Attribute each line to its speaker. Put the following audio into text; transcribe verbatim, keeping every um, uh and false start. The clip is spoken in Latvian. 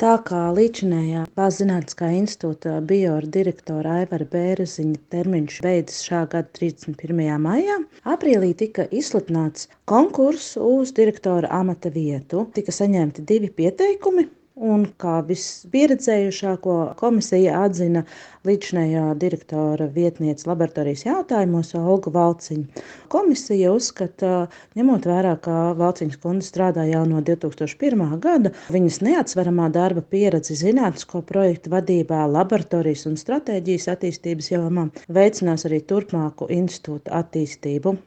Speaker 1: Tā kā līdzinējā Valsts zinātniskā institūta bioru direktora Aivara Bēreziņa termiņš beidzas šā gada trīsdesmit pirmajā maijā, aprīlī tika izsludināts konkurss uz direktora amata vietu. Tika saņemti divi pieteikumi. Un kā vispieredzējušāko komisija atzina līdzinējā direktora vietniece laboratorijas jautājumos Olgu Valciņu. Komisija uzskata, ņemot vērā, ka Valciņas kundze strādā jau no divi tūkstoši pirmā gada, viņas neatsveramā darba pieredze zinātnisko projektu vadībā, laboratorijas un stratēģijas attīstības jomā veicinās arī turpmāku institūta attīstību.